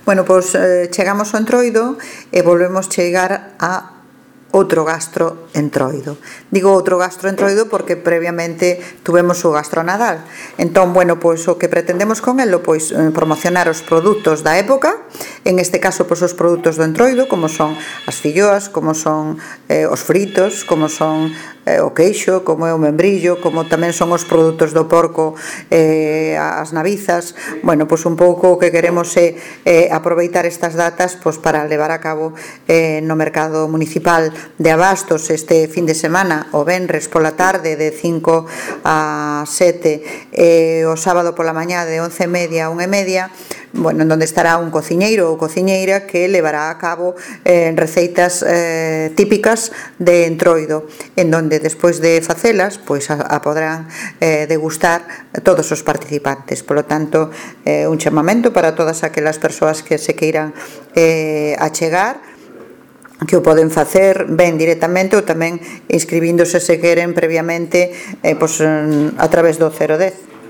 Bueno, pois chegamos ao Entroido e volvemos chegar a outro gastroentroido. Digo outro gastroentroido porque previamente tuvemos o gastronadal. Entón, bueno, pois o que pretendemos con elo, pois promocionar os produtos da época, en este caso, pois os produtos do Entroido, como son as filloas, como son os fritos, como son o queixo, como é o membrillo, como tamén son os produtos do porco, as navizas. Bueno, pois un pouco o que queremos é aproveitar estas datas pois para levar a cabo no mercado municipal de abastos este fin de semana, o venres pola tarde de 5 a 7 e o sábado pola mañá de 11:30 a 1:30, bueno, en donde estará un cociñeiro ou cociñeira que levará a cabo receitas típicas de Entroido, en donde despois de facelas, pois a podrán degustar todos os participantes. Por lo tanto, un chamamento para todas aquelas persoas que se queiran achegar, que o poden facer ben directamente ou tamén inscribíndose se queren previamente pois, a través do 010.